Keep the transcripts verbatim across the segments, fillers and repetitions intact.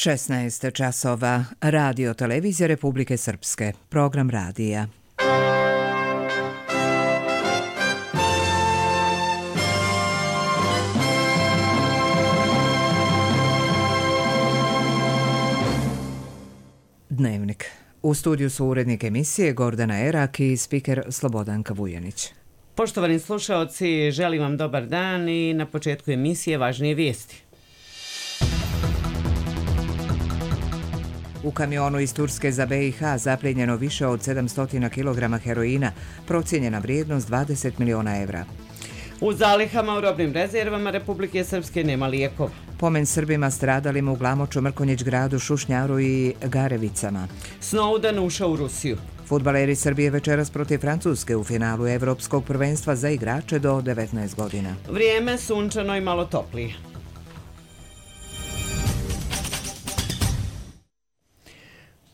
šesnaest časova. Radio televizija Republike Srpske. Program radija. Dnevnik. U studiju su urednik emisije Gordana Erak i spiker Slobodanka Vujanić. Poštovani slušaoci, želim vam dobar dan i na početku emisije važnije vijesti. U kamionu iz Turske za B i H zaplijenjeno više od sedamsto kilograma heroina, procijenjena vrijednost dvadeset miliona evra. U zalihama u robnim rezervama Republike Srpske nema lijekova. Pomen Srbima stradalim u Glamoču, Mrkonjić gradu, Šušnjaru i Garevicama. Snowden ušao u Rusiju. Fudbaleri Srbije večeras protiv Francuske u finalu Evropskog prvenstva za igrače do devetnaest godina. Vrijeme sunčano i malo toplije.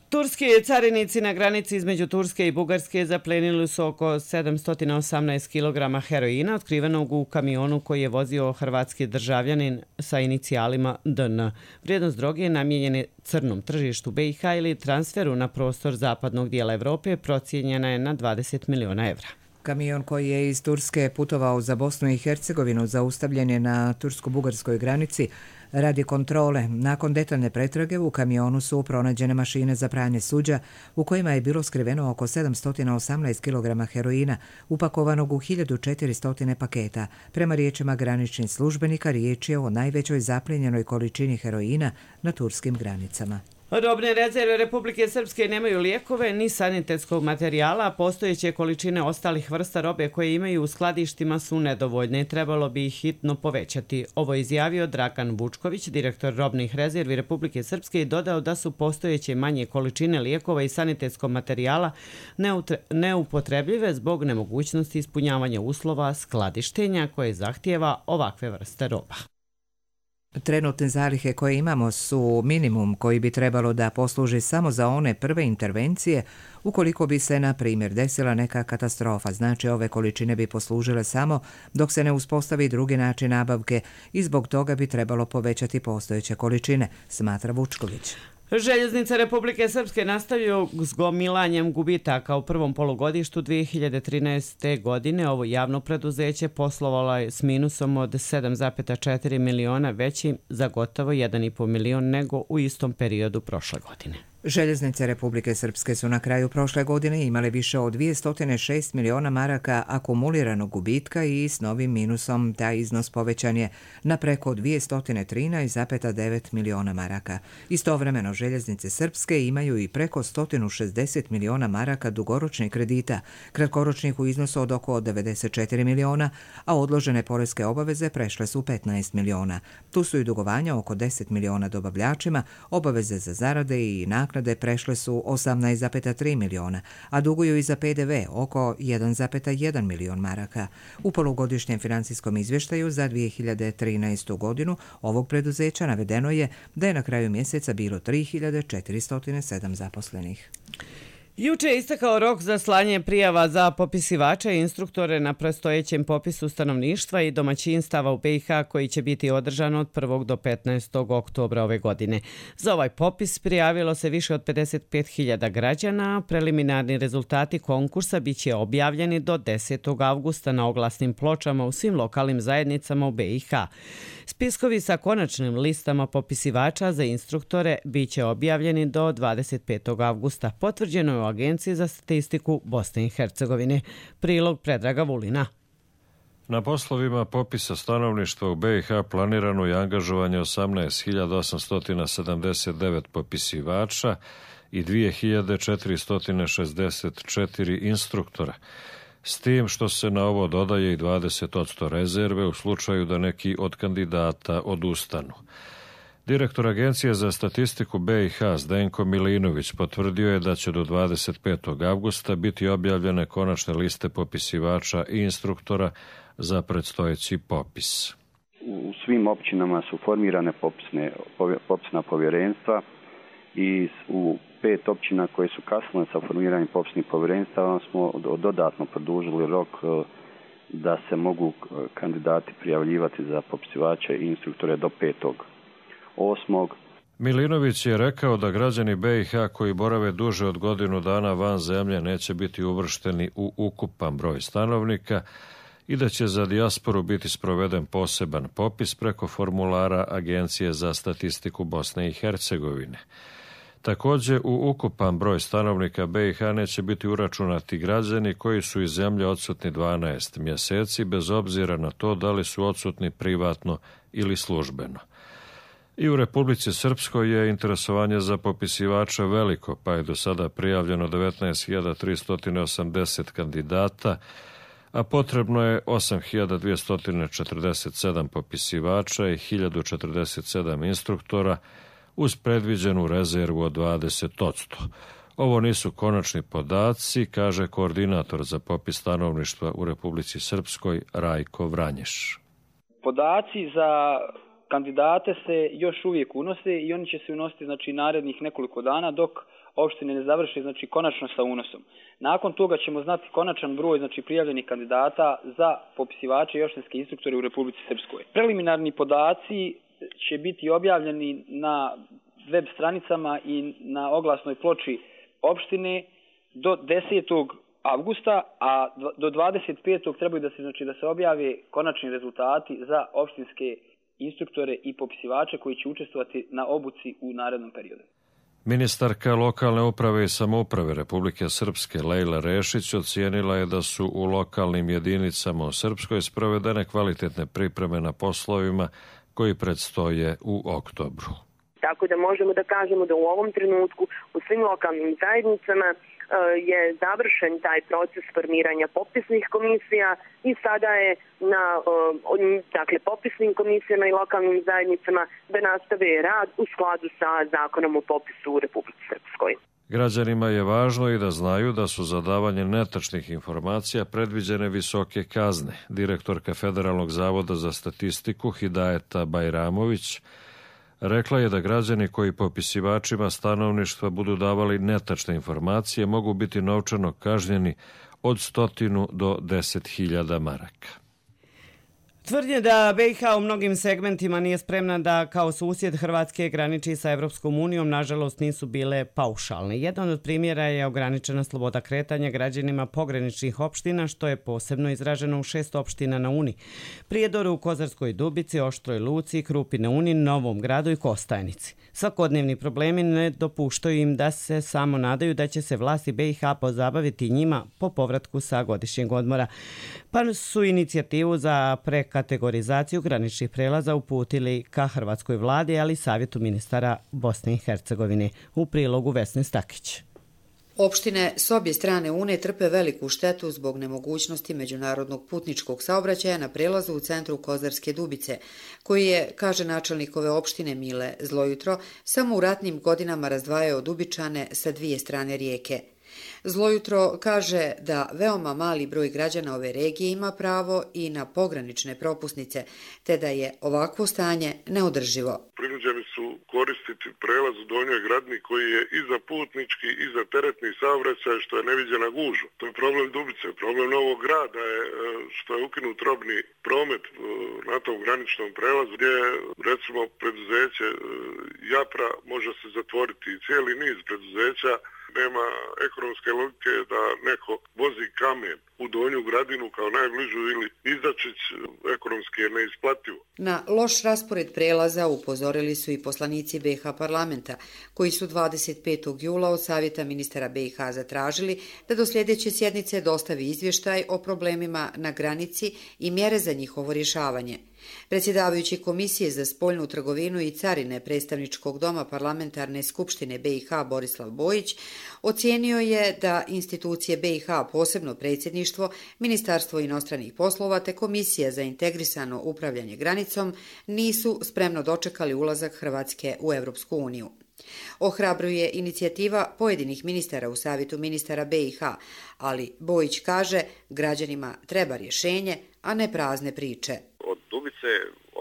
Turski carinici na granici između Turske i Bugarske zaplenili su oko sedamsto osamnaest kilograma heroina otkrivenog u kamionu koji je vozio hrvatski državljanin sa inicijalima D N. Vrijednost droge namijenjene crnom tržištu B i H ili transferu na prostor zapadnog dijela Evrope procijenjena je na dvadeset miliona evra. Kamion koji je iz Turske putovao za Bosnu i Hercegovinu zaustavljen je na tursko-bugarskoj granici radi kontrole. Nakon detaljne pretrage u kamionu su pronađene mašine za pranje suđa u kojima je bilo skriveno oko sedamsto osamnaest kilograma heroina upakovanog u hiljadu četiristo paketa. Prema riječima graničnih službenika riječ je o najvećoj zaplijenjenoj količini heroina na turskim granicama. Robne rezerve Republike Srpske nemaju lijekove ni sanitetskog materijala, a postojeće količine ostalih vrsta robe koje imaju u skladištima su nedovoljne i trebalo bi ih hitno povećati. Ovo je izjavio Dragan Vučković, direktor robnih rezervi Republike Srpske, i dodao da su postojeće manje količine lijekova i sanitetskog materijala neupotrebljive zbog nemogućnosti ispunjavanja uslova skladištenja koje zahtijeva ovakve vrste roba. Trenutne zalihe koje imamo su minimum koji bi trebalo da posluži samo za one prve intervencije ukoliko bi se, na primjer, desila neka katastrofa. Znači, ove količine bi poslužile samo dok se ne uspostavi drugi način nabavke i zbog toga bi trebalo povećati postojeće količine, smatra Vučković. Željeznice Republike Srpske nastavljaju s gomilanjem gubitaka. U prvom polugodištu dvije hiljade trinaeste. godine ovo javno preduzeće poslovalo je s minusom od sedam zarez četiri miliona, većim za gotovo jedan i po milion nego u istom periodu prošle godine. Željeznice Republike Srpske su na kraju prošle godine imale više od dvjesto šest miliona maraka akumuliranog gubitka i s novim minusom taj iznos povećan je na preko dvjesto trinaest zarez devet miliona maraka. Istovremeno Željeznice Srpske imaju i preko sto šezdeset miliona maraka dugoročnih kredita, kratkoročnih u iznosu od oko devedeset četiri miliona, a odložene poreske obaveze prešle su petnaest miliona. Tu su i dugovanja oko deset miliona dobavljačima, obaveze za zarade i naknade prešle su osamnaest zarez tri miliona, a duguju i za P D V oko jedan zarez jedan milion maraka. U polugodišnjem financijskom izvještaju za dvije hiljade trinaestu. godinu ovog preduzeća navedeno je da je na kraju mjeseca bilo tri hiljade četiristo sedam zaposlenih. Juče je istekao rok za slanje prijava za popisivače i instruktore na predstojećem popisu stanovništva i domaćinstava u B i H koji će biti održan od prvog do petnaestog oktobra ove godine. Za ovaj popis prijavilo se više od pedeset pet hiljada građana. Preliminarni rezultati konkursa bit će objavljeni do desetog avgusta na oglasnim pločama u svim lokalnim zajednicama u B i H. Spiskovi sa konačnim listama popisivača za instruktore bit će objavljeni do dvadeset petog avgusta. Potvrđeno je u Agenciji za statistiku Bosne i Hercegovine. Prilog Predraga Vulina. Na poslovima popisa stanovništva u B i H planirano je angažovanje osamnaest hiljada osamsto sedamdeset devet popisivača i dvije hiljade četiristo šezdeset četiri instruktora, s tim što se na ovo dodaje i dvadeset posto rezerve u slučaju da neki od kandidata odustanu. Direktor Agencije za statistiku B i H Zdenko Milinović potvrdio je da će do dvadeset petog avgusta biti objavljene konačne liste popisivača i instruktora za predstojeći popis. U svim općinama su formirane popisne, popisna povjerenstva i u pet općina koje su kasnile sa formiranjem popisnih povjerenstava smo dodatno produžili rok da se mogu kandidati prijavljivati za popisivače i instruktore do petog osmog Milinović je rekao da građani B i H koji borave duže od godinu dana van zemlje neće biti uvršteni u ukupan broj stanovnika i da će za dijasporu biti sproveden poseban popis preko formulara Agencije za statistiku Bosne i Hercegovine. Također, u ukupan broj stanovnika B i H neće biti uračunati građani koji su iz zemlje odsutni dvanaest mjeseci, bez obzira na to da li su odsutni privatno ili službeno. I u Republici Srpskoj je interesovanje za popisivača veliko, pa je do sada prijavljeno devetnaest hiljada tristo osamdeset kandidata, a potrebno je osam hiljada dvjesto četrdeset sedam popisivača i hiljadu četrdeset sedam instruktora uz predviđenu rezervu od dvadeset posto. Ovo nisu konačni podaci, kaže koordinator za popis stanovništva u Republici Srpskoj Rajko Vranješ. Podaci za kandidate se još uvijek unose i oni će se unositi znači narednih nekoliko dana dok opštine ne završe znači konačno sa unosom. Nakon toga ćemo znati konačan broj znači prijavljenih kandidata za popisivače i opštinske instruktore u Republici Srpskoj. Preliminarni podaci će biti objavljeni na web stranicama i na oglasnoj ploči opštine do desetog avgusta, a do dvadeset petog trebaju da se znači da se objave konačni rezultati za opštinske instruktore i popisivače koji će učestvovati na obuci u narednom periodu. Ministarka lokalne uprave i samouprave Republike Srpske Lejla Rešić ocijenila je da su u lokalnim jedinicama u Srpskoj sprovedene kvalitetne pripreme na poslovima koji predstoje u oktobru. Tako da možemo da kažemo da u ovom trenutku u svim lokalnim zajednicama je završen taj proces formiranja popisnih komisija i sada je na dakle, popisnim komisijama i lokalnim zajednicama da nastave rad u skladu sa zakonom o popisu u Republici Srpskoj. Građanima je važno i da znaju da su za davanje netačnih informacija predviđene visoke kazne. Direktorka Federalnog zavoda za statistiku Hidajeta Bajramović rekla je da građani koji popisivačima stanovništva budu davali netačne informacije mogu biti novčano kažnjeni od stotinu do deset hiljada maraka. Tvrdnje da B i H u mnogim segmentima nije spremna da kao susjed Hrvatske graniči sa Evropskom unijom, nažalost nisu bile paušalne. Jedan od primjera je ograničena sloboda kretanja građanima pograničnih opština, što je posebno izraženo u šest opština na Uni. Prijedoru u Kozarskoj Dubici, Oštroj Luci, Krupi na Uni, Novom Gradu i Kostajnici. Svakodnevni problemi ne dopuštaju im da se samo nadaju da će se vlasti B i H pozabaviti njima po povratku sa godišnjeg odmora. Pa su inicijativu za prekategorizaciju graničnih prelaza uputili ka hrvatskoj vladi, ali i Savjetu ministara Bosne i Hercegovine. U prilogu Vesne Stakić. Opštine s obje strane Une trpe veliku štetu zbog nemogućnosti međunarodnog putničkog saobraćaja na prelazu u centru Kozarske Dubice, koji je, kaže načelnik ove opštine Mile Zlojutro, samo u ratnim godinama razdvajao Dubičane sa dvije strane rijeke. Zlojutro kaže da veoma mali broj građana ove regije ima pravo i na pogranične propusnice, te da je ovakvo stanje neodrživo. Prinuđeni su koristiti prelaz u Donjoj Gradini koji je i za putnički i za teretni saobraćaj, što je neviđena gužva. To je problem Dubice. Problem Novog Grada je što je ukinut robni promet na tom graničnom prelazu, gdje recimo preduzeće Japra može se zatvoriti i cijeli niz preduzeća. Nema ekonomske logike da neko vozi kamen u Donju Gradinu kao najbližu ili Izačić, ekonomski je neisplativo. Na loš raspored prelaza upozorili su i poslanici B i H parlamenta, koji su dvadeset petog jula od Savjeta ministara B i H zatražili da do sljedeće sjednice dostavi izvještaj o problemima na granici i mjere za njihovo rješavanje. Predsjedavajući Komisije za spoljnu trgovinu i carine Predstavničkog doma parlamentarne skupštine B i H Borislav Bojić ocijenio je da institucije B i H, posebno predsjedništvo, Ministarstvo inostranih poslova te Komisija za integrisano upravljanje granicom nisu spremno dočekali ulazak Hrvatske u Evropsku uniju. Ohrabruje inicijativa pojedinih ministara u Savjetu ministara B i H, ali Bojić kaže građanima treba rješenje, a ne prazne priče. Od Dubice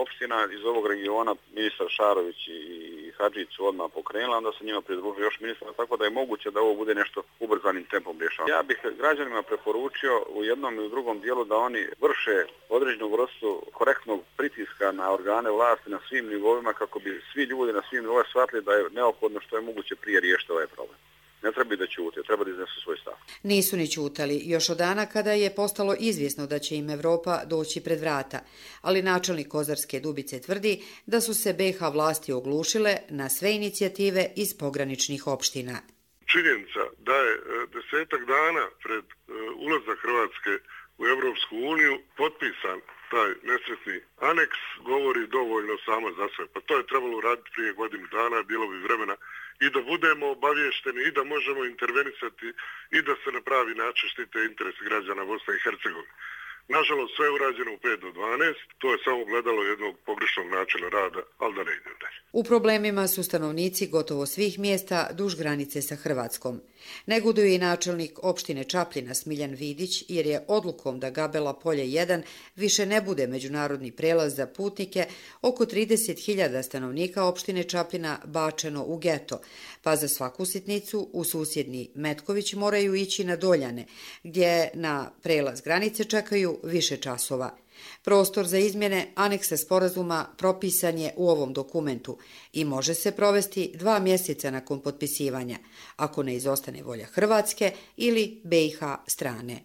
opština iz ovog regiona ministar Šarović i Hadžić su odmah pokrenula, onda se njima pridružio još ministar, tako da je moguće da ovo bude nešto ubrzanim tempom rješavano. Ja bih građanima preporučio u jednom i u drugom dijelu da oni vrše određenu vrstu korektnog pritiska pritiska na organe vlasti na svim nivoima kako bi svi ljudi na svim nivoima shvatili da je neophodno što je moguće prije riješiti ovaj problem. Ne treba da ćute, treba da iznesu svoj stav. Nisu ni ćutali, još od dana kada je postalo izvjesno da će im Evropa doći pred vrata, ali načelnik Kozarske Dubice tvrdi da su se be ha vlasti oglušile na sve inicijative iz pograničnih opština. Činjenica da je desetak dana pred ulazak Hrvatske u Evropsku uniju potpisan taj nesretni aneks govori dovoljno samo za sve. Pa to je trebalo uraditi prije godinu dana, bilo bi vremena i da budemo obavješteni i da možemo intervenisati i da se na pravi način štite interesi građana Bosne i Hercegovine. Nažalost, sve je urađeno u pet do dvanaest, to je samo gledalo jednog pogrešnog načina rada, ali da ne ide dalje. U problemima su stanovnici gotovo svih mjesta duž granice sa Hrvatskom. Negoduje i načelnik opštine Čapljina Smiljan Vidić, jer je odlukom da Gabela polje jedan više ne bude međunarodni prelaz za putnike, oko trideset hiljada stanovnika opštine Čapljina bačeno u geto, pa za svaku sitnicu u susjedni Metković moraju ići na Doljane, gdje na prelaz granice čekaju više časova. Prostor za izmjene aneksa sporazuma propisan je u ovom dokumentu i može se provesti dva mjeseca nakon potpisivanja, ako ne izostane volja Hrvatske ili be ha strane.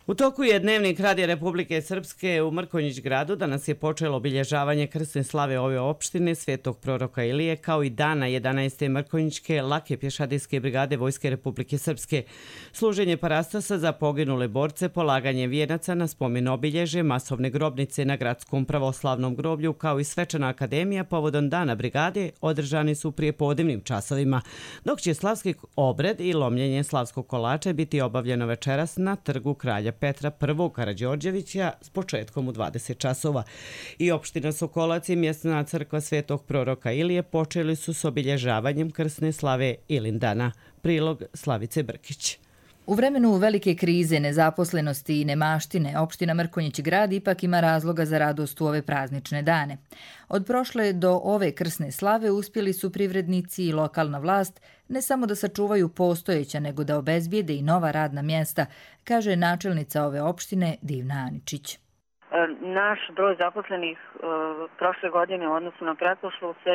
U toku je dnevnik Radija Republike Srpske u Mrkonjić gradu. Danas je počelo obilježavanje krsne slave ove opštine Svetog proroka Ilije, kao i dana jedanaeste Mrkonjićke lake pješadijske brigade Vojske Republike Srpske. Služenje parastasa za poginule borce, polaganje vijenaca na spomen obilježe, masovne grobnice na gradskom pravoslavnom groblju, kao i svečana akademija povodom dana brigade održani su prije podnevnim časovima, dok će slavski obred i lomljenje slavskog kolača biti obavljeno večeras na trgu Kralja Petra prvog Karađorđevića s početkom u dvadeset časova. I opština Sokolac i mjesna crkva Svetog proroka Ilije počeli su s obilježavanjem krsne slave Ilindana. Prilog Slavice Brkić. U vremenu velike krize, nezaposlenosti i nemaštine, opština Mrkonjić grad ipak ima razloga za radost u ove praznične dane. Od prošle do ove krsne slave uspjeli su privrednici i lokalna vlast ne samo da sačuvaju postojeća, nego da obezbijede i nova radna mjesta, kaže načelnica ove opštine Divna Aničić. Naš broj zaposlenih prošle godine u odnosu na pretprošlu se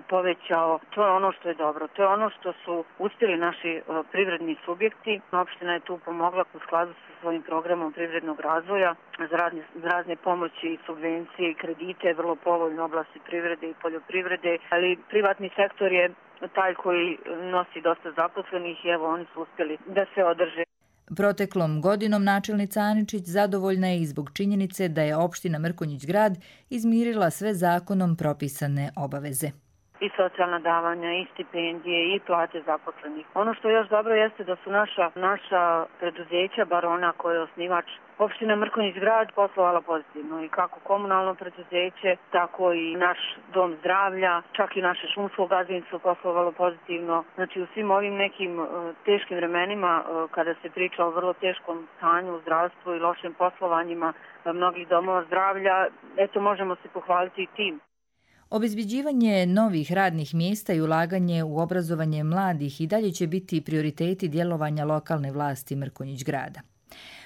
povećao. To je ono što je dobro. To je ono što su uspjeli naši privredni subjekti. Opština je tu pomogla u skladu sa svojim programom privrednog razvoja za razne, za razne pomoći, subvencije i kredite, vrlo povoljne oblasti privrede i poljoprivrede, ali privatni sektor je taj koji nosi dosta zaposlenih i evo oni su uspjeli da se održe. Proteklom godinom načelnica Aničić zadovoljna je i zbog činjenice da je opština Mrkonjić grad izmirila sve zakonom propisane obaveze. I socijalna davanja, i stipendije, i plate zaposlenih. Ono što je još dobro jeste da su naša, naša preduzeća, bar ona koja je osnivač opština Mrkonjić grad, poslovala pozitivno. I kako komunalno preduzeće, tako i naš dom zdravlja, čak i naše šumsko gazdinstvo poslovalo pozitivno. Znači u svim ovim nekim uh, teškim vremenima, uh, kada se priča o vrlo teškom stanju u zdravstvu i lošim poslovanjima uh, mnogih domova zdravlja, eto možemo se pohvaliti i tim. Obezbeđivanje novih radnih mjesta i ulaganje u obrazovanje mladih i dalje će biti prioriteti djelovanja lokalne vlasti Mrkonjić grada.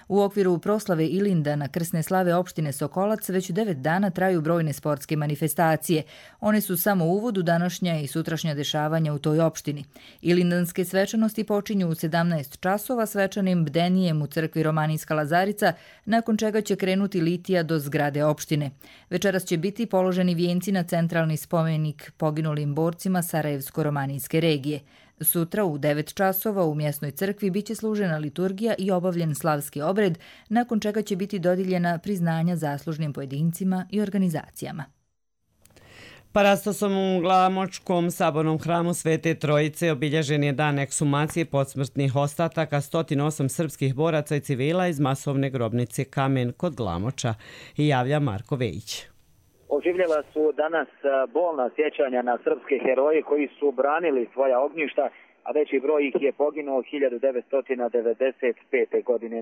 U okviru proslave Ilindana krsne slave opštine Sokolac već devet dana traju brojne sportske manifestacije. One su samo uvod u današnja i sutrašnja dešavanja u toj opštini. Ilindanske svečanosti počinju u sedamnaest časova svečanim bdenijem u crkvi Romanijska Lazarica, nakon čega će krenuti litija do zgrade opštine. Večeras će biti položeni vijenci na centralni spomenik poginulim borcima Sarajevsko-romanijske regije. Sutra u devet časova u mjesnoj crkvi biće služena liturgija i obavljen slavski obred, nakon čega će biti dodijeljena priznanja zaslužnim pojedincima i organizacijama. Parastosom u Glamočkom sabornom hramu Svete Trojice obilježen je dan ekshumacije podsmrtnih ostataka sto osam srpskih boraca i civila iz masovne grobnice Kamen kod Glamoča, i javlja Marko Vejić. Oživljela su danas bolna sjećanja na srpske heroje koji su branili svoja ognjišta, a veći broj ih je poginuo hiljadu devetsto devedeset pete. godine.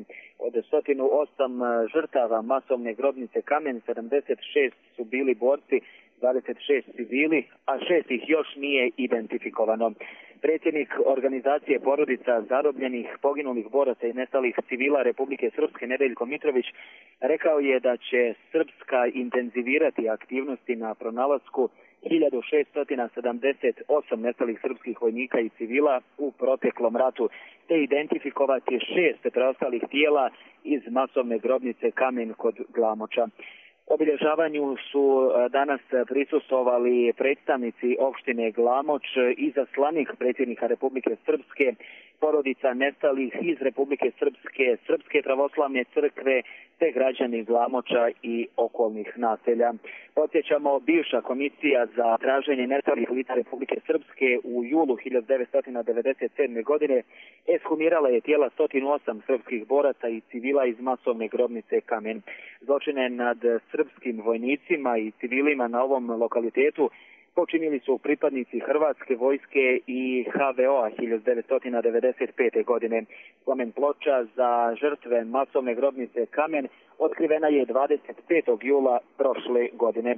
Od sto osam žrtava masovne grobnice Kamen, sedamdeset šest su bili borci dvadeset šest civili, a šest ih još nije identifikovano. Predsjednik organizacije porodica zarobljenih, poginulih boraca i nestalih civila Republike Srpske Nedeljko Mitrović rekao je da će Srpska intenzivirati aktivnosti na pronalasku hiljadu šeststo sedamdeset osam nestalih srpskih vojnika i civila u proteklom ratu, te identifikovati šest preostalih tijela iz masovne grobnice Kamen kod Glamoča. Obilježavanju su danas prisustvovali predstavnici opštine Glamoč, izaslanik predsjednika Republike Srpske, porodica nestalih iz Republike Srpske, Srpske pravoslavne crkve, te građani Glamoča i okolnih naselja. Podsjećamo, bivša komisija za traženje nestalih lica Republike Srpske u julu hiljadu devetsto devedeset sedme. godine ekshumirala je tijela sto osam srpskih boraca i civila iz masovne grobnice Kamen. Zločine nad srpskim vojnicima i civilima na ovom lokalitetu počinili su pripadnici Hrvatske vojske i ha ve o-a hiljadu devetsto devedeset pete. godine. Spomen ploča za žrtve masovne grobnice Kamen otkrivena je dvadeset petog jula prošle godine.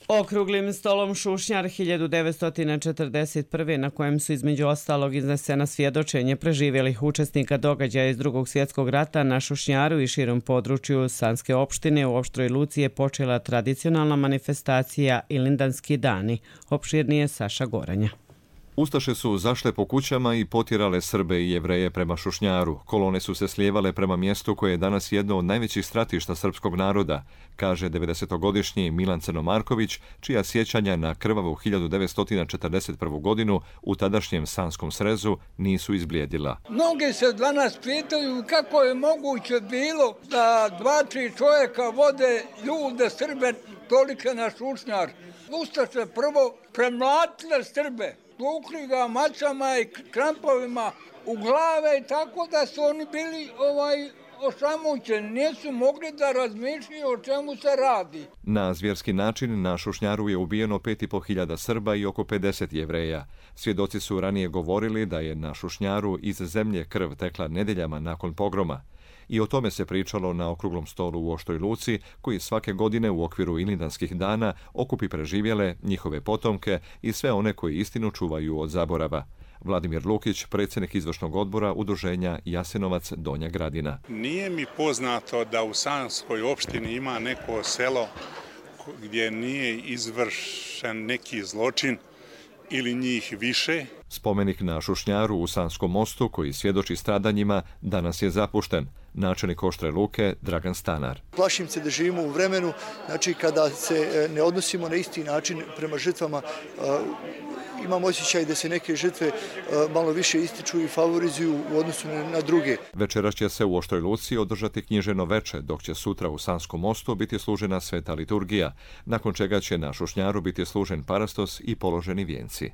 Okruglim stolom Šušnjar hiljadu devetsto četrdeset prve. na kojem su između ostalog iznesena svjedočenje preživjelih učesnika događaja iz Drugog svjetskog rata na Šušnjaru i širom području Sanske opštine u Oštroj Luci je počela tradicionalna manifestacija Ilindanski dani. Opširnije Saša Goranja. Ustaše su zašle po kućama i potjerale Srbe i Jevreje prema Šušnjaru. Kolone su se slijevale prema mjestu koje je danas jedno od najvećih stratišta srpskog naroda, kaže devedesetogodišnji Milan Crnomarković, čija sjećanja na krvavu hiljadu devetsto četrdeset prvu. godinu u tadašnjem Sanskom srezu nisu izblijedila. Mnogi se danas pitaju kako je moguće bilo da dva, tri čovjeka vode ljude Srbe tolike na Šušnjar. Ustaše prvo premlatile Srbe, tukli ga macama i krampovima u glave, tako da su oni bili ovaj osamućeni, nisu mogli da razmišljaju o čemu se radi. Na zvjerski način na Šušnjaru je ubijeno pet i po hiljada Srba i oko pedeset Jevreja. Svjedoci su ranije govorili da je na Šušnjaru iz zemlje krv tekla nedeljama nakon pogroma. I o tome se pričalo na okruglom stolu u Oštroj Luci, koji svake godine u okviru Ilindanskih dana okupi preživjele, njihove potomke i sve one koji istinu čuvaju od zaborava. Vladimir Lukić, predsjednik izvršnog odbora udruženja Jasenovac Donja Gradina. Nije mi poznato da u Sanskoj opštini ima neko selo gdje nije izvršen neki zločin ili njih više. Spomenik na Šušnjaru u Sanskom mostu, koji svjedoči stradanjima, danas je zapušten. Načelnik Oštre Luke Dragan Stanar. Plašim se da živimo u vremenu, znači kada se ne odnosimo na isti način prema žrtvama. Imam osjećaj da se neke žrtve malo više ističu i favorizuju u odnosu na druge. Večeras će se u Oštroj Luci održati knjiženo veče, dok će sutra u Sanskom mostu biti služena sveta liturgija, nakon čega će na Šušnjaru biti služen parastos i položeni vijenci.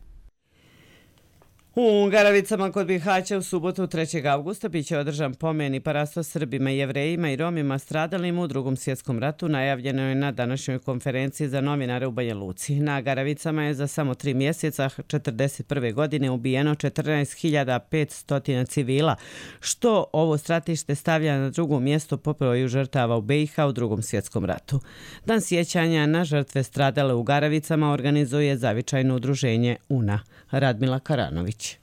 U Garavicama kod Bihaća u subotu trećeg avgusta biće održan pomen i parastos Srbima, Jevrejima i Romima stradalim u Drugom svjetskom ratu, najavljeno je na današnjoj konferenciji za novinare u Banja Luci. Na Garavicama je za samo tri mjeseca četrdeset prve. godine ubijeno četrnaest hiljada petsto civila, što ovo stratište stavlja na drugo mjesto po broju žrtava u be i ha u Drugom svjetskom ratu. Dan sjećanja na žrtve stradale u Garavicama organizuje zavičajno udruženje U N A. Radmila Karanović.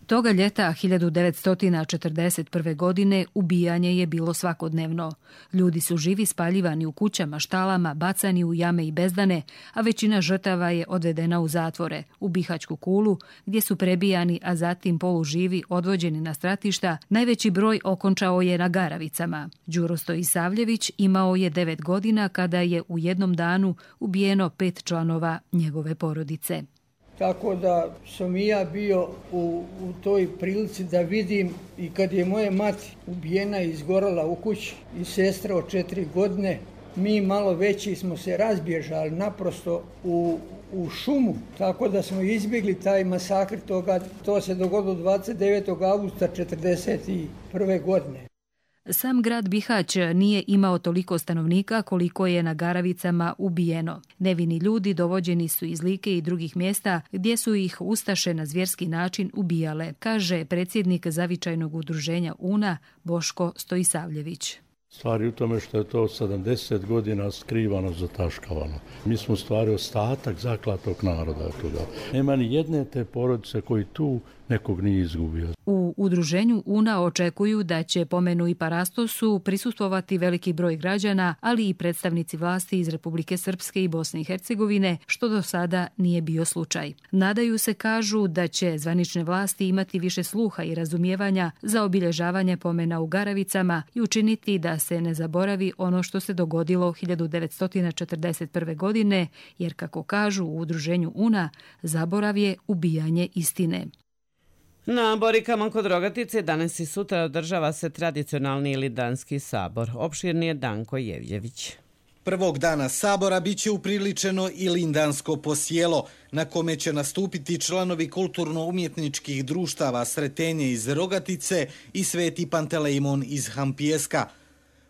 Toga ljeta hiljadu devetsto četrdeset prve. godine ubijanje je bilo svakodnevno. Ljudi su živi spaljivani u kućama, štalama, bacani u jame i bezdane, a većina žrtava je odvedena u zatvore, u Bihaćku kulu, gdje su prebijani, a zatim poluživi odvođeni na stratišta. Najveći broj okončao je na Garavicama. Đuro Stojisavljević imao je devet godina kada je u jednom danu ubijeno pet članova njegove porodice. Tako da sam i ja bio u, u toj prilici da vidim i kad je moja mati ubijena i izgorala u kući i sestra od četiri godine, mi malo veći smo se razbježali naprosto u, u šumu, tako da smo izbjegli taj masakr toga. To se dogodilo dvadeset devetog avgusta četrdeset prve. godine. Sam grad Bihać nije imao toliko stanovnika koliko je na Garavicama ubijeno. Nevini ljudi dovođeni su iz Like i drugih mjesta gdje su ih ustaše na zvjerski način ubijale, kaže predsjednik zavičajnog udruženja U N A Boško Stojisavljević. Stvari u tome što je to sedamdeset godina skrivano, zataškavano. Mi smo stvari ostatak zaklatog naroda toga. Nema ni jedne te porodice koji tu nekog nije izgubio. U udruženju U N A očekuju da će pomenu i parastosu prisustvovati veliki broj građana, ali i predstavnici vlasti iz Republike Srpske i Bosne i Hercegovine, što do sada nije bio slučaj. Nadaju se, kažu, da će zvanične vlasti imati više sluha i razumijevanja za obilježavanje pomena u Garavicama i učiniti da se ne zaboravi ono što se dogodilo hiljadu devetsto četrdeset prve. godine, jer, kako kažu u udruženju U N A, zaborav je ubijanje istine. Na Borikama kod Rogatice danas i sutra održava se tradicionalni Ilindanski sabor. Opširni je Danko Jevljević. Prvog dana sabora biće upriličeno Ilindansko posjelo, na kome će nastupiti članovi kulturno-umjetničkih društava Sretenje iz Rogatice i Sveti Pantelejmon iz Hampijeska.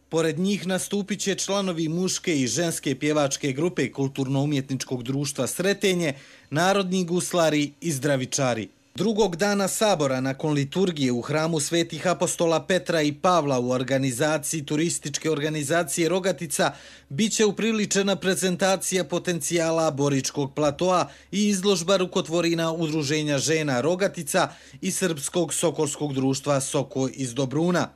Pored njih nastupit će članovi muške i ženske pjevačke grupe kulturno-umjetničkog društva Sretenje, narodni guslari i zdravičari. Drugog dana sabora, nakon liturgije u hramu Svetih apostola Petra i Pavla u organizaciji turističke organizacije Rogatica, bit će upriličena prezentacija potencijala Boričkog platoa i izložba rukotvorina Udruženja žena Rogatica i Srpskog sokolskog društva Soko iz Dobruna.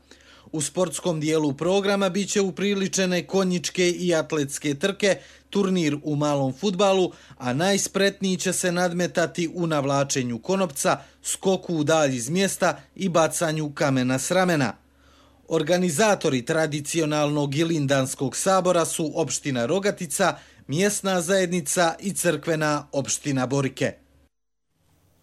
U sportskom dijelu programa bit će upriličene konjičke i atletske trke, turnir u malom fudbalu, a najspretniji će se nadmetati u navlačenju konopca, skoku u dalj iz mjesta i bacanju kamena s ramena. Organizatori tradicionalnog Ilindanskog sabora su opština Rogatica, mjesna zajednica i crkvena opština Borike.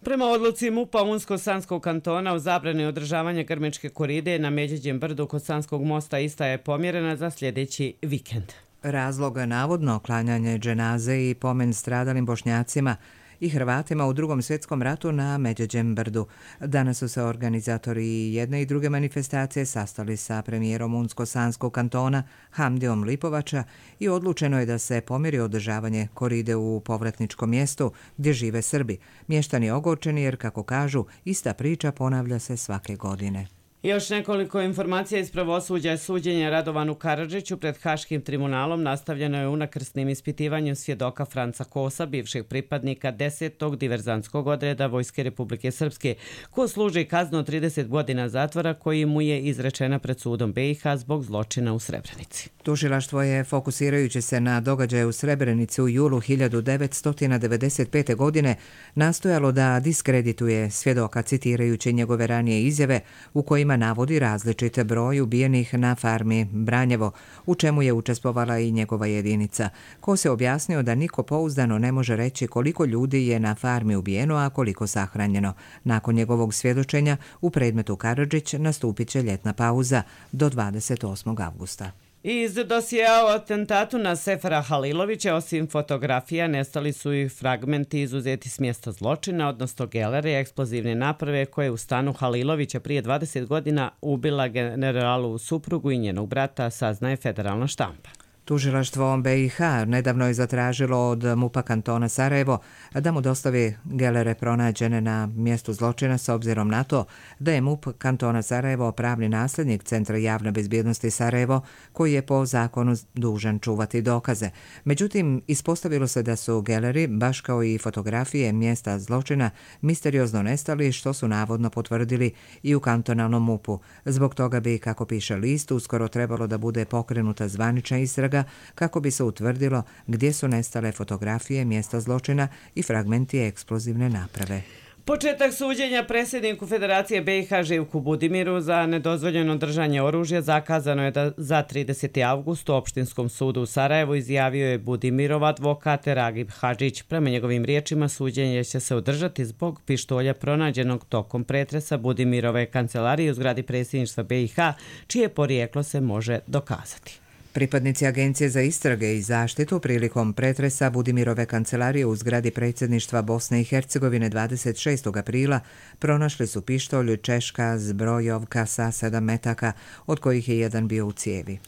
Prema odluci M U P-a Unsko-Sanskog kantona u zabrani održavanja grmečke koride na Međeđem brdu kod Sanskog mosta ista je pomjerena za sljedeći vikend. Razlog navodno klanjanje dženaze i pomen stradalim Bošnjacima i Hrvatima u Drugom svjetskom ratu na Međeđem brdu. Danas su se organizatori jedne i druge manifestacije sastali sa premijerom Unsko-Sanskog kantona Hamdijom Lipovača i odlučeno je da se pomjeri održavanje koride u povratničkom mjestu gdje žive Srbi. Mještani ogorčeni jer, kako kažu, ista priča ponavlja se svake godine. Još nekoliko informacija iz pravosuđa. Suđenje Radovanu Karadžiću pred Haškim tribunalom nastavljeno je unakrsnim ispitivanjem svjedoka Franca Kosa, bivšeg pripadnika desetog diverzantskog odreda Vojske Republike Srpske, ko služi kaznu od trideset godina zatvora koji mu je izrečena pred sudom B i H zbog zločina u Srebrenici. Tužilaštvo je, fokusirajući se na događaje u Srebrenici u julu hiljadu devetsto devedeset pete. godine, nastojalo da diskredituje svjedoka citirajući njegove ranije izjave u kojima navodi različite broj ubijenih na farmi Branjevo, u čemu je učestvovala i njegova jedinica. Ko se objasnio da niko pouzdano ne može reći koliko ljudi je na farmi ubijeno, a koliko sahranjeno. Nakon njegovog svjedočenja u predmetu Karadžić nastupit će ljetna pauza do dvadeset osmog avgusta. Iz dosjea o atentatu na Sefera Halilovića, osim fotografija, nestali su i fragmenti izuzeti s mjesta zločina, odnosno gelere eksplozivne naprave koje u stanu Halilovića prije dvadeset godina ubila generalu suprugu i njenog brata, saznaje federalna štampa. Tužilaštvo B i H nedavno je zatražilo od M U P-a kantona Sarajevo da mu dostavi gelere pronađene na mjestu zločina s obzirom na to da je M U P kantona Sarajevo pravni nasljednik Centra javne bezbjednosti Sarajevo koji je po zakonu dužan čuvati dokaze. Međutim, ispostavilo se da su geleri, baš kao i fotografije mjesta zločina, misteriozno nestali, što su navodno potvrdili i u kantonalnom M U P-u. Zbog toga bi, kako piše list, uskoro trebalo da bude pokrenuta zvanična istraga kako bi se utvrdilo gdje su nestale fotografije mjesta zločina i fragmenti eksplozivne naprave. Početak suđenja predsjedniku Federacije B i H Živku Budimiru za nedozvoljeno držanje oružja zakazano je da za trideseti avgust u Opštinskom sudu u Sarajevu, izjavio je Budimirov advokat Ragib Hadžić. Prema njegovim riječima, suđenje će se održati zbog pištolja pronađenog tokom pretresa Budimirove kancelarije u zgradi predsjedništva B i H, čije porijeklo se može dokazati. Pripadnici Agencije za istrage i zaštitu prilikom pretresa Budimirove kancelarije u zgradi predsjedništva Bosne i Hercegovine dvadeset šestog aprila pronašli su pištolj Češka zbrojovka sa sedam metaka, od kojih je jedan bio u cijevi.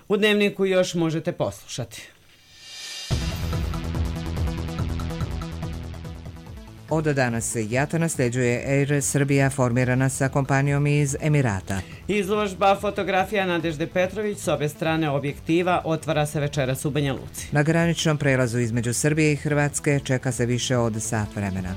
U Dnevniku još možete poslušati. Od danas JAT nasljeđuje Air Srbija formirana sa kompanijom iz Emirata. Izložba fotografija Nadežde Petrović s obje strane objektiva otvara se večeras u Banja Luci. Na graničnom prelazu između Srbije i Hrvatske čeka se više od sat vremena.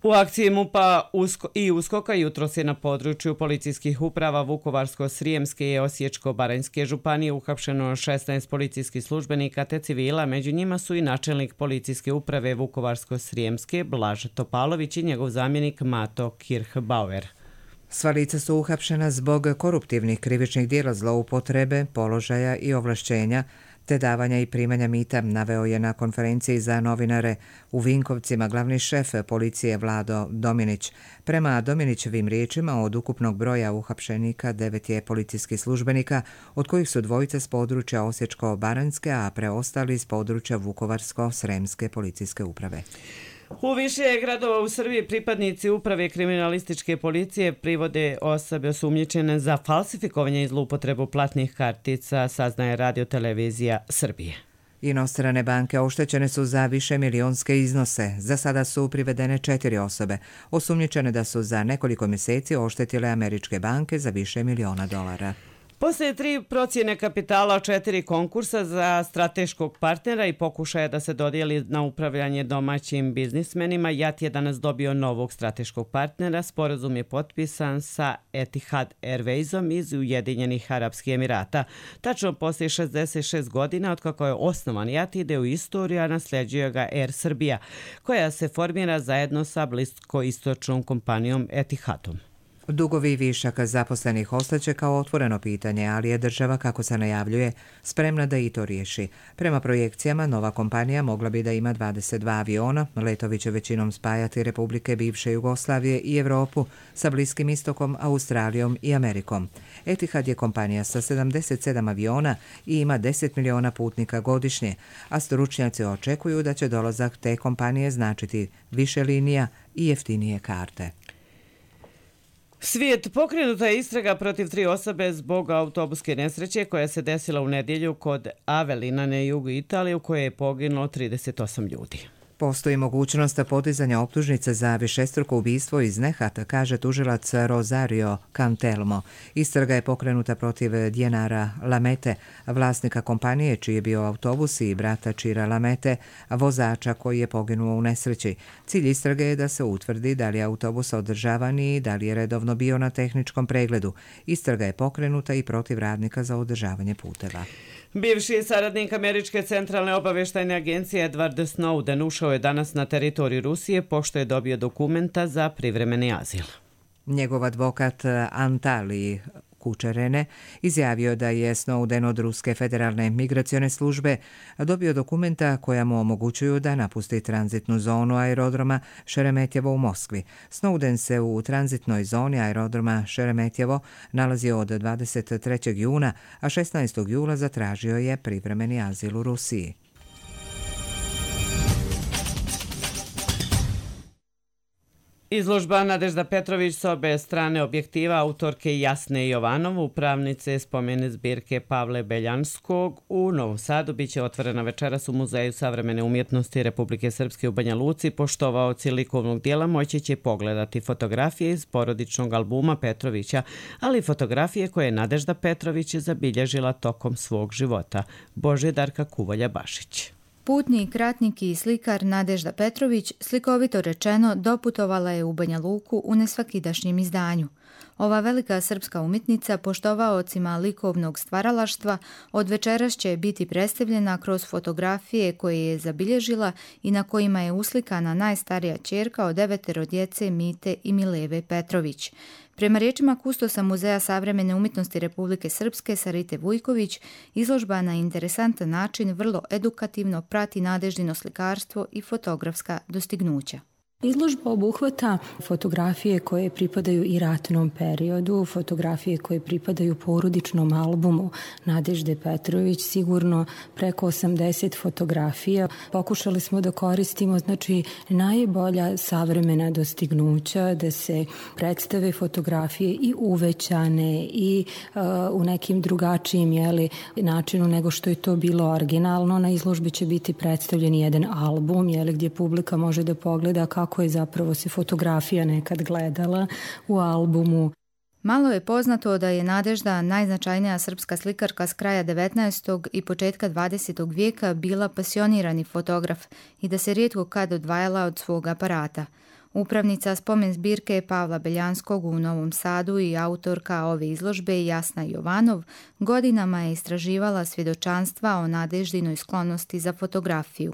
U akciji MUP-a i USKOK-a jutros je na području policijskih uprava Vukovarsko-Srijemske i Osječko-Baranjske županije uhapšeno šesnaest policijskih službenika te civila, među njima su i načelnik policijske uprave Vukovarsko-Srijemske Blaž Topalović i njegov zamjenik Mato Kirchbauer. Sva lica su uhapšena zbog koruptivnih krivičnih djela zloupotrebe, položaja i ovlašćenja, te davanja i primanja mita, naveo je na konferenciji za novinare u Vinkovcima glavni šef policije Vlado Dominić. Prema Dominićevim riječima, od ukupnog broja uhapšenika devet je policijskih službenika, od kojih su dvojice s područja Osječko-Baranjske, a preostali s područja Vukovarsko-Sremske policijske uprave. U više gradova u Srbiji pripadnici uprave kriminalističke policije privode osobe osumnjičene za falsifikovanje i zloupotrebu platnih kartica, saznaje Radio televizija Srbije. Inostrane banke oštećene su za više milionske iznose. Za sada su privedene četiri osobe, osumnjičene da su za nekoliko mjeseci oštetile američke banke za više miliona dolara. Poslije tri procjene kapitala, četiri konkursa za strateškog partnera i pokušaja da se dodijeli na upravljanje domaćim biznismenima, JAT je danas dobio novog strateškog partnera. Sporazum je potpisan sa Etihad Airwaysom iz Ujedinjenih Arapskih Emirata. Tačno poslije šezdeset šest godina od kako je osnovan JAT ide u istoriju, a nasljeđuje ga Air Srbija, koja se formira zajedno sa bliskoistočnom kompanijom Etihadom. Dugovi i višak zaposlenih ostaće kao otvoreno pitanje, ali je država, kako se najavljuje, spremna da i to riješi. Prema projekcijama, nova kompanija mogla bi da ima dvadeset dva aviona, letovi će većinom spajati republike bivše Jugoslavije i Evropu sa Bliskim istokom, Australijom i Amerikom. Etihad je kompanija sa sedamdeset sedam aviona i ima deset miliona putnika godišnje, a stručnjaci očekuju da će dolazak te kompanije značiti više linija i jeftinije karte. Svijet, pokrenuta je istraga protiv tri osobe zbog autobuske nesreće koja se desila u nedjelju kod Avelina na jugu Italije, u kojoj je poginulo trideset osam ljudi. Postoji mogućnost podizanja optužnice za višestruko ubistvo iz nehata, kaže tužilac Rosario Cantelmo. Istraga je pokrenuta protiv Dienara Lamete, vlasnika kompanije čiji je bio autobus, i brata Čira Lamete, vozača koji je poginuo u nesreći. Cilj istrage je da se utvrdi da li je autobus održavan i da li je redovno bio na tehničkom pregledu. Istraga je pokrenuta i protiv radnika za održavanje puteva. Bivši saradnik Američke centralne obavještajne agencije Edward Snowden ušao je danas na teritoriju Rusije pošto je dobio dokumenta za privremeni azil. Njegov advokat Antali Kučerene izjavio da je Snowden od Ruske federalne migracione službe dobio dokumenta koja mu omogućuju da napusti tranzitnu zonu aerodroma Šeremetjevo u Moskvi. Snowden se u tranzitnoj zoni aerodroma Šeremetjevo nalazio od dvadeset trećeg juna, a šesnaestog jula zatražio je privremeni azil u Rusiji. Izložba Nadežda Petrović s obe strane objektiva autorke Jasne Jovanov, upravnice spomene zbirke Pavle Beljanskog u Novom Sadu, biće otvorena večeras u Muzeju savremene umjetnosti Republike Srpske u Banja Luci. Poštovaoci likovnog dijela moći će pogledati fotografije iz porodičnog albuma Petrovića, ali i fotografije koje je Nadežda Petrović zabilježila tokom svog života. Božidarka Kuvolja-Bašić. Putnik, ratnik i slikar Nadežda Petrović, slikovito rečeno, doputovala je u Banja Luku u nesvakidašnjem izdanju. Ova velika srpska umjetnica poštovaocima likovnog stvaralaštva od večeras će biti predstavljena kroz fotografije koje je zabilježila i na kojima je uslikana najstarija ćerka od devetero djece Mite i Mileve Petrović. Prema riječima kustosa Muzeja savremene umjetnosti Republike Srpske Sarite Vujković, izložba na interesantan način vrlo edukativno prati Nadeždino slikarstvo i fotografska dostignuća. Izložba obuhvata fotografije koje pripadaju i ratnom periodu, fotografije koje pripadaju porodičnom albumu Nadežde Petrović, sigurno preko osamdeset fotografija. Pokušali smo da koristimo znači najbolja savremena dostignuća, da se predstave fotografije i uvećane i uh, u nekim drugačijim jeli, načinu nego što je to bilo originalno. Na izložbi će biti predstavljen jedan album jeli, gdje publika može da pogleda kako kako je zapravo se fotografija nekad gledala u albumu. Malo je poznato da je Nadežda, najznačajnija srpska slikarka s kraja devetnaestog i početka dvadesetog vijeka, bila pasionirani fotograf i da se rijetko kad odvajala od svog aparata. Upravnica spomen zbirke Pavla Beljanskog u Novom Sadu i autorka ove izložbe Jasna Jovanov godinama je istraživala svjedočanstva o Nadeždinoj sklonosti za fotografiju.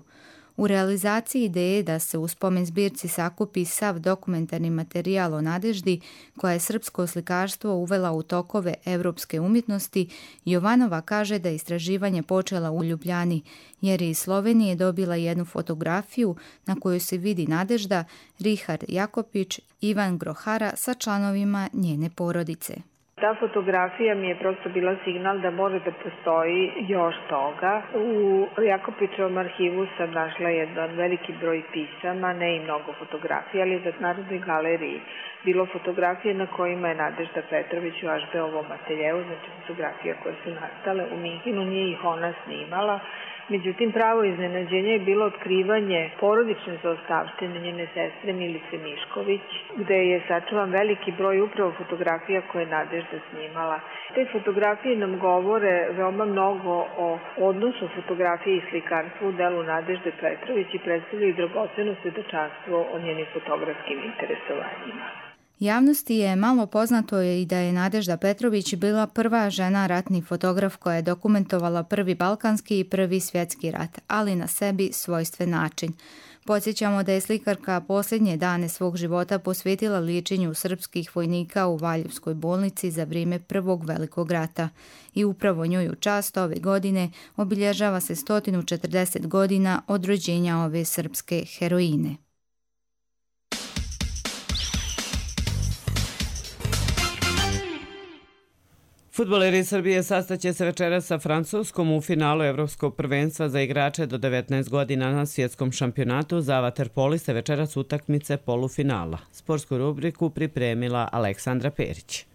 U realizaciji ideje da se u spomen zbirci sakupi sav dokumentarni materijal o Nadeždi, koja je srpsko slikarstvo uvela u tokove evropske umjetnosti, Jovanova kaže da je istraživanje počela u Ljubljani, jer je iz Slovenije dobila jednu fotografiju na kojoj se vidi Nadežda, Richard Jakopić, Ivan Grohara sa članovima njene porodice. Ta fotografija mi je prosto bila signal da može da postoji još toga. U Jakopićevom arhivu sam našla jedan veliki broj pisama, ne i mnogo fotografija, ali za Narodnoj galeriji bilo fotografije na kojima je Nadežda Petrović u Ašbeovom ateljeu, znači fotografija koje su nastale u Minhinu, nije ih ona snimala. Međutim, pravo iznenađenje je bilo otkrivanje porodične zaostavštine njene sestre Milice Mišković, gde je sačuvan veliki broj upravo fotografija koje je Nadežda snimala. Te fotografije nam govore veoma mnogo o odnosu fotografije i slikarstva u delu Nadežde Petrović i predstavljaju dragoceno svjedočanstvo o njenim fotografskim interesovanjima. Javnosti je malo poznato i da je Nadežda Petrović bila prva žena ratni fotograf koja je dokumentovala prvi balkanski i prvi svjetski rat, ali na sebi svojstven način. Podsjećamo da je slikarka posljednje dane svog života posvetila liječenju srpskih vojnika u Valjevskoj bolnici za vrijeme Prvog velikog rata i upravo njoj u čast ove godine obilježava se sto četrdeset godina od rođenja ove srpske heroine. Fudbaleri Srbije sastaće se večeras sa Francuskom u finalu Evropskog prvenstva za igrače do devetnaest godina na svjetskom šampionatu. Za vaterpoliste večeras utakmice polufinala. Sportsku rubriku pripremila Aleksandra Perić.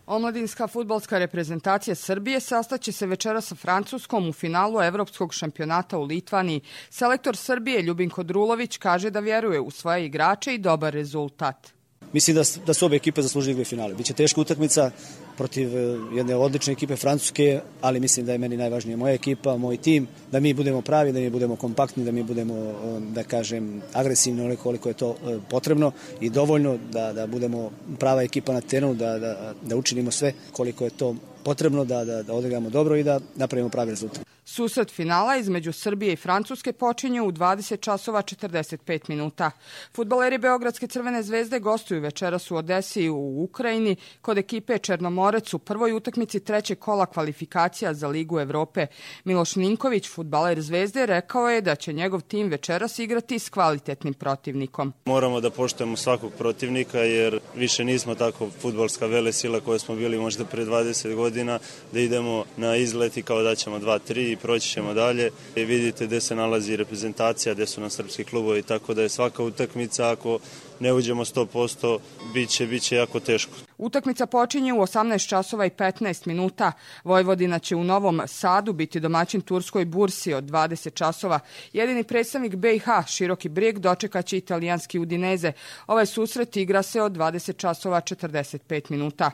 Omladinska fudbalska reprezentacija Srbije sastaće se večeras sa Francuskom u finalu Evropskog šampionata u Litvaniji. Selektor Srbije Ljubinko Drulović kaže da vjeruje u svoje igrače i dobar rezultat. Mislim da, da su obe ekipe zaslužili finale. Biće teška utakmica protiv jedne odlične ekipe Francuske, ali mislim da je meni najvažnija moja ekipa, moj tim, da mi budemo pravi, da mi budemo kompaktni, da mi budemo, da kažem, agresivni onoliko koliko je to potrebno i dovoljno, da, da budemo prava ekipa na terenu, da, da, da učinimo sve koliko je to potrebno, da, da, da odigramo dobro i da napravimo pravi rezultat. Susret finala između Srbije i Francuske počinje u dvadeset časova četrdeset pet minuta. Fudbaleri Beogradske Crvene zvezde gostuju večeras u Odesi u Ukrajini kod ekipe Černomorec u prvoj utakmici trećeg kola kvalifikacija za Ligu Evrope. Miloš Ninković, fudbaler Zvezde, rekao je da će njegov tim večeras igrati s kvalitetnim protivnikom. Moramo da poštujemo svakog protivnika jer više nismo tako fudbalska velesila koje smo bili možda pre dvadeset godina, da idemo na izlet i kao da ćemo dva tri proći ćemo dalje i vidite gde se nalazi reprezentacija, gde su nam srpski klubovi, tako da je svaka utakmica, ako ne uđemo sto posto, bit će, bit će jako teško. Utakmica počinje u osamnaest časova i petnaest minuta. Vojvodina će u Novom Sadu biti domaćin Turskoj Bursi od dvadeset časova. Jedini predstavnik B i H, Široki Brijeg, dočekaće italijanski Udineze. Ovaj susret igra se od dvadeset časova četrdeset pet minuta.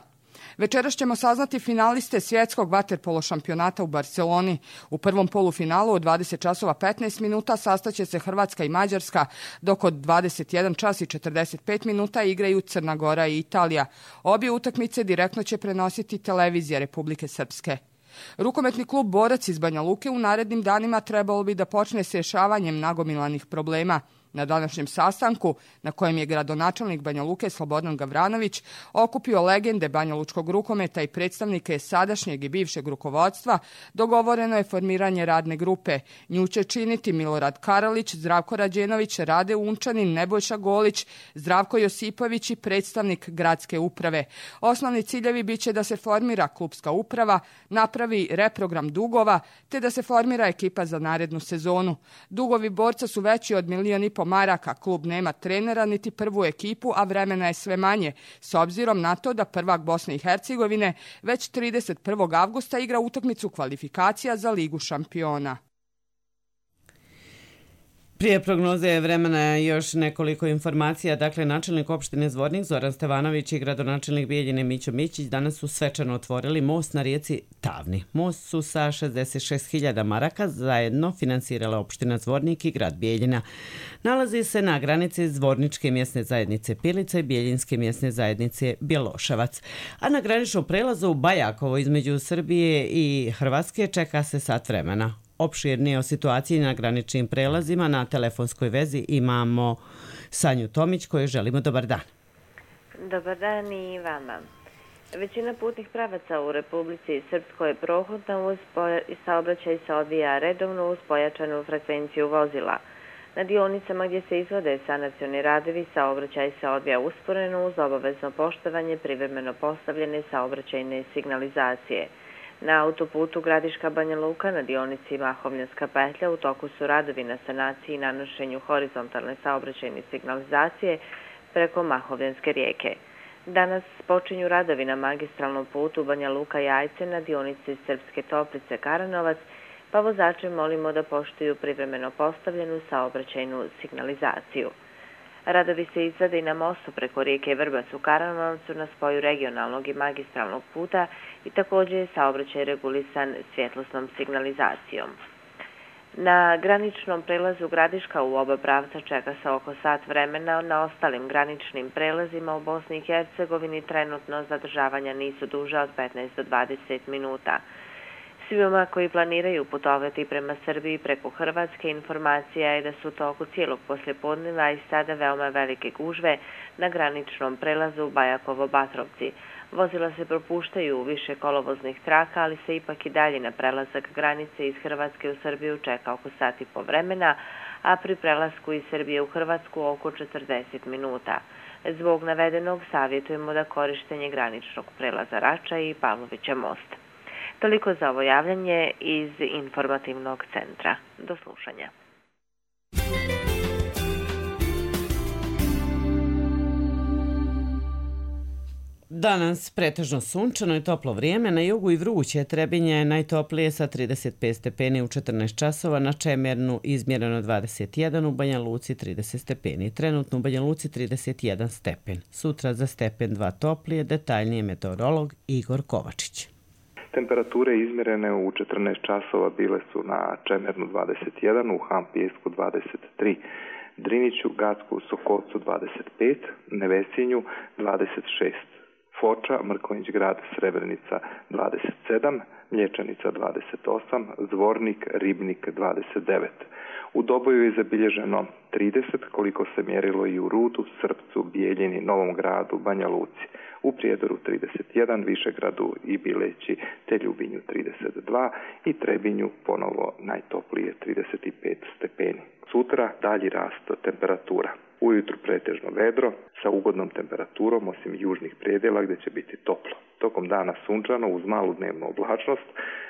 Večeras ćemo saznati finaliste svjetskog vaterpolo šampionata u Barceloni. U prvom polufinalu od dvadeset časova petnaest minuta sastaće se Hrvatska i Mađarska, dok od dvadeset jedan čas i četrdeset pet minuta igraju Crna Gora i Italija. Obje utakmice direktno će prenositi televizija Republike Srpske. Rukometni klub Borac iz Banja Luke u narednim danima trebalo bi da počne s rješavanjem nagomilanih problema. Na današnjem sastanku, na kojem je gradonačelnik Banja Luke Slobodan Gavranović okupio legende banjalučkog rukometa i predstavnike sadašnjeg i bivšeg rukovodstva, dogovoreno je formiranje radne grupe. Nju će činiti Milorad Karalić, Zdravko Rađenović, Rade Unčanin, Nebojša Golić, Zdravko Josipović i predstavnik gradske uprave. Osnovni ciljevi biće da se formira klubska uprava, napravi reprogram dugova, te da se formira ekipa za narednu sezonu. Dugovi borca su veći od milijon i po maraka, klub nema trenera niti prvu ekipu, a vremena je sve manje, s obzirom na to da prvak Bosne i Hercegovine već trideset prvog avgusta igra utakmicu kvalifikacija za Ligu šampiona. Prije prognoze vremena još nekoliko informacija. Dakle, načelnik opštine Zvornik Zoran Stevanović i gradonačelnik Bijeljine Mićo Mićić danas su svečano otvorili most na rijeci Tavni. Most su sa šezdeset šest hiljada maraka zajedno finansirala opština Zvornik i grad Bijeljina. Nalazi se na granici Zvorničke mjesne zajednice Pilica i Bijeljinske mjesne zajednice Bjeloševac. A na graničnom prelazu u Bajakovo između Srbije i Hrvatske čeka se sat vremena. Opširnije o situaciji na graničnim prelazima na telefonskoj vezi imamo Sanju Tomić kojoj želimo dobar dan. Dobar dan i vama. Većina putnih pravaca u Republici Srpskoj je prohodna uz i saobraćaj se odvija redovno uz pojačanu frekvenciju vozila. Na dionicama gdje se izvode sanacioni radovi saobraćaj se odvija usporeno uz obavezno poštovanje privremeno postavljene saobraćajne signalizacije. Na autoputu Gradiška Banja Luka na dionici Mahovljanska petlja u toku su radovi na sanaciji i nanošenju horizontalne saobraćajne signalizacije preko Mahovljanske rijeke. Danas počinju radovi na magistralnom putu Banja Luka Jajce na dionici Srpske Toplice Karanovac, pa vozače molimo da poštuju privremeno postavljenu saobraćajnu signalizaciju. Radovi se izvode i na mostu preko rijeke Vrbac u Karanovcu na spoju regionalnog i magistralnog puta i također je saobraćaj regulisan svjetlosnom signalizacijom. Na graničnom prelazu Gradiška u oba pravca čeka se oko sat vremena, na ostalim graničnim prelazima u Bosni i Hercegovini trenutno zadržavanja nisu duža od petnaest do dvadeset minuta. Svima koji planiraju putovati prema Srbiji preko Hrvatske, informacija je da su u toku cijelog poslijepodneva i sada veoma velike gužve na graničnom prelazu Bajakovo-Batrovci. Vozila se propuštaju u više kolovoznih traka, ali se ipak i dalje na prelazak granice iz Hrvatske u Srbiju čeka oko sat i po vremena, a pri prelasku iz Srbije u Hrvatsku oko četrdeset minuta. Zbog navedenog savjetujemo da korištenje graničnog prelaza Rača i Pavlovića mosta. Toliko za ovo javljanje iz informativnog centra. Do slušanja. Danas pretežno sunčano i toplo vrijeme, na jugu i vruće. Trebinje je najtoplije sa trideset pet stepeni u četrnaest časova, na Čemernu izmjereno dvadeset jedan, u Banja Luci trideset stepeni. Trenutno u Banja Luci trideset jedan stepen. Sutra za stepen dva toplije, detaljnije meteorolog Igor Kovačić. Temperature izmjerene u četrnaest časova bile su na Čemernu dvadeset jedan, u Hampijesku dvadeset tri, Driniću, Gacku, Sokocu dvadeset pet, Nevesinju dvadeset šest, Foča, Mrkonjić grad, Srebrenica dvadeset sedam, Mlječanica dvadeset osam, Zvornik, Ribnik dvadeset devet. U Doboju je zabilježeno trideset, koliko se mjerilo i u Rudu, Srpcu, Bijeljini, Novom gradu, Banja Luci. U Prijedoru trideset jedan, Višegradu i Bileći te Ljubinju trideset dva i Trebinju ponovo najtoplije trideset pet stepeni. Sutra dalji rast temperatura. Ujutru pretežno vedro sa ugodnom temperaturom osim južnih predjela gdje će biti toplo. Tokom dana sunčano uz malu dnevnu oblačnost,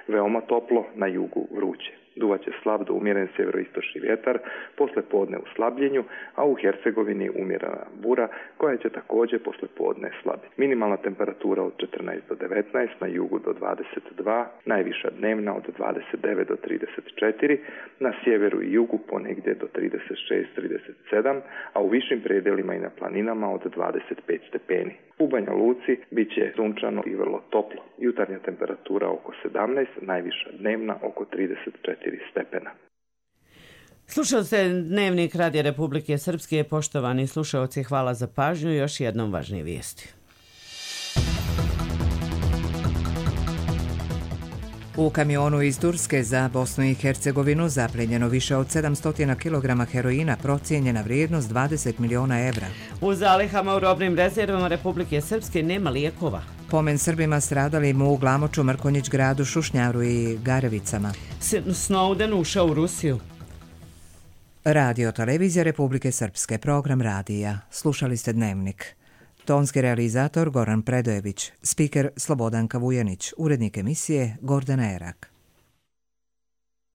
veoma toplo, na jugu vruće. Duvaće slab do umjeren sjeveroistočni vjetar, posle podne u slabljenju, a u Hercegovini umjerena bura koja će također posle podne slabiti. Minimalna temperatura od četrnaest do devetnaest, na jugu do dvadeset dva, najviša dnevna od dvadeset devet do trideset četiri, na sjeveru i jugu ponegdje do trideset šest do trideset sedam, a u višim predjelima i na planinama od dvadeset pet stepeni. U Banja Luci bit će sunčano i vrlo toplo. Jutarnja temperatura oko sedamnaest, najviša dnevna oko trideset četiri stepena. Slušao se Dnevnik Radija Republike Srpske. Poštovani slušaoci, hvala za pažnju. Još jednom važnije vijesti. U kamionu iz Turske za Bosnu i Hercegovinu zaplenjeno više od sedamsto kilograma heroina, procijenjena vrijednost dvadeset miliona evra. U zalihama u robnim rezervama Republike Srpske nema lijekova. Pomen Srbima stradalim u Glamoču, Mrkonjić gradu, Šušnjaru i Garevicama. Snowden ušao u Rusiju. Radio televizija Republike Srpske, program radija. Slušali ste Dnevnik. Tonski realizator Goran Predojević, spiker Slobodanka Vujanić, urednik emisije Gordana Erak.